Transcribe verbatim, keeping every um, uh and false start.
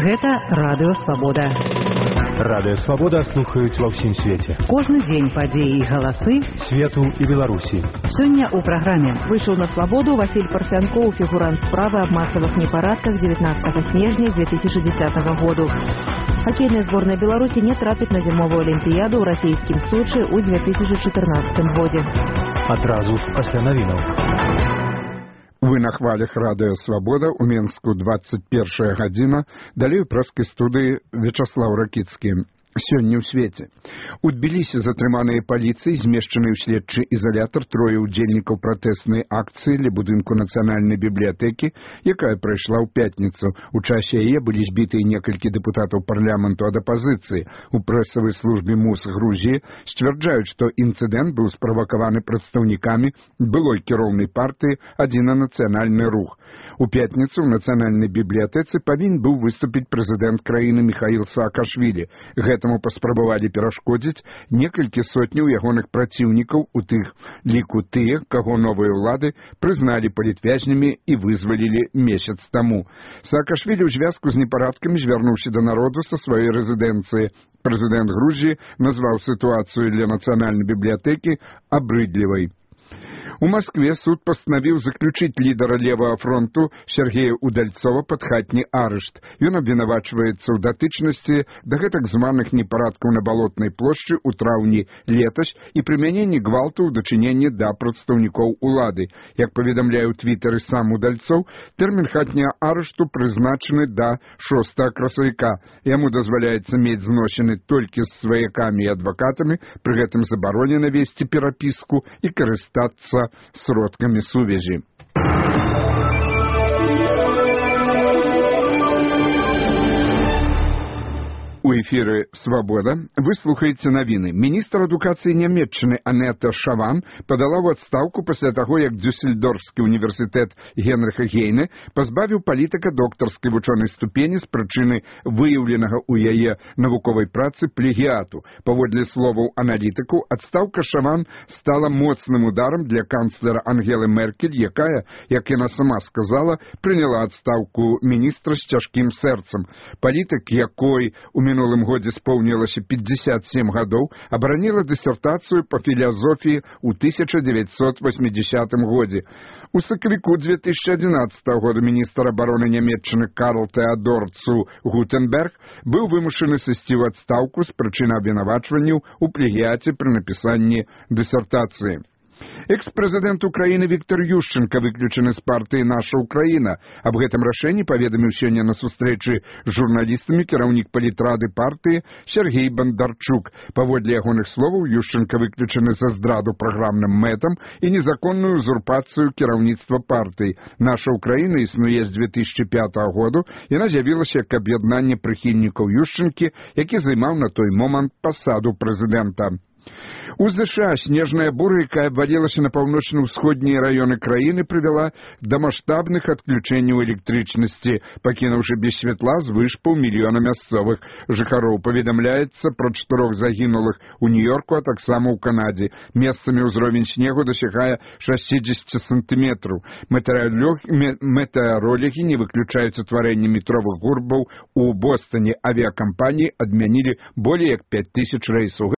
Гэта Радыё Свабода. Радыё Свабода слухаюць ва ўсім свеце. Кожны дзень падзеі і галасы свету і Беларусі. Сёння ў праграме вышел на свободу Василь Парфянков, фигурант справы об массовых непорядках девятнадцатого снежня две тысячи десятого года. Хоккейная сборная Беларуси не трапит на зимовую олимпиаду в российском Сочи у две тысячи четырнадцатом году. Адразу пасля навінаў. Вы на хвалях Радыё Свабода, у Менску двадцать первая гадзіна, далей у прэскай студыі Вячаслаў Ракіцкі. Сёння ў свеце. У Тбілісі затрыманыя паліцыяй, змешчаны ў следчы ізалятар трое ўдзельнікаў пратэснай акцыі ля будынку нацыянальнай бібліятэкі, якая прайшла ў пятніцу. У часе яе былі збітыя некалькі дэпутатаў парламенту ад апазіцыі. У прэсавай службе МУС Грузіі сцвярджаюць, што інцыдэнт быў справакаваны прадстаўнікамі былой кіроўнай партыі «Адзіна нацыянальны рух». У пятніцу ў нацыянальнай бібліятэцы павінен быў выступіць прэзідэнт краіны Міхаіл Саакашвілі. Гэтаму паспрабавалі перашкодзіць некалькі сотняў ягоных праціўнікаў, у тых ліку тыя, каго новыя ўлады прызналі палітвязнямі і вызвалілі месяц таму. Саакашвілі ў звязку з непарадкамі звярнуўся да народу са сваёй рэзідэнцыі. Прэзідэнт Грузіі назваў сітуацыю для нацыянальнай бібліятэкі абрыдлівай. У Москве суд пастанавіў заключыць лідара левага фронту Сергея Удальцова пад хатні арышт. Ён абвінавачваецца ў датычнасці да гэтак званых непарадкаў на балотнай плошчы ў траўні летась і прымяненні гвалту ў дачыненні да прадстаўнікоў улады. Як паведамляе ў твітары сам Удальцоў, тэрмін хатняга арышту прызначаны да шостага красавіка. Яму дазваляецца мець зносіны толькі з сваякамі і адвакатамі, пры гэтым забаронена весці перапіску і карыстацца сродкамі сувязі. У эфіры «Свабода» вы слухаеце навіны. Міністр адукацыі Нямецчыны Анета Шаван падала ў адстаўку пасля таго, як Дюссельдорфскі універсітэт Генрыха Гейне пазбавіў палітыка доктарскай вучонай ступені з прычыны выяўленага ў яе навуковай працы плагіату. Паводле словаў аналітыку, адстаўка Шаван стала моцным ударам для канцлера Ангелы Меркель, якая, як яна сама сказала, прыняла адстаўку міністра з цяжкім сэрцам. Палітык, якой у минулым годзе споўнілася пятьдесят семь гадоў, абараніла дысертацыю па філазофіі ў тысяча дзевяцьсот восьмідзесятым годзе. У сакавіку две тысячи одиннадцатого года міністр абароны Нямецчыны Карл Теодор цу Гутенберг быў вымушаны сысці ў адстаўку з прычыны абвінавачванняў у плагіяце пры напісанні дысертацыі. Экс-прэзідэнт Украіны Віктор Ющенка выключаны з партыі «Наша Украіна». Аб гэтым рашэнні паведаміў сёння на сустрэчы з журналістамі кіраўнік палітрады партыі Сергей Бандарчук. Паводле ягоных словаў, Ющенка выключаны за здраду праграмным мэтам і незаконную узурпацыю кіраўніцтва партыі. «Наша Украіна» існуе з две тысячи пятого году, яна з'явілася як аб'яднанне прыхільнікаў Ющенкі, які займаў на той момант пасаду прэзідэнта. У ЗША снежная буря, якая абвалілася на паўночна-ўсходнія раёны краіны, прывяла да маштабных адключэнняў электрычнасці, пакінуўшы без святла звыш паўмільёна мясцовых жыхароў. Паведамляецца пра чатырох загінулых у Нью-Йорку, а таксама ў Канадзе. Месцамі ўзровень снегу дасягае шестьдесят сантиметраў. Метэарологі не выключаюць утварэнне метровых гурбаў у Бостоне. Авіякампаніі адмянілі болей як пять тысяч рэйсаў.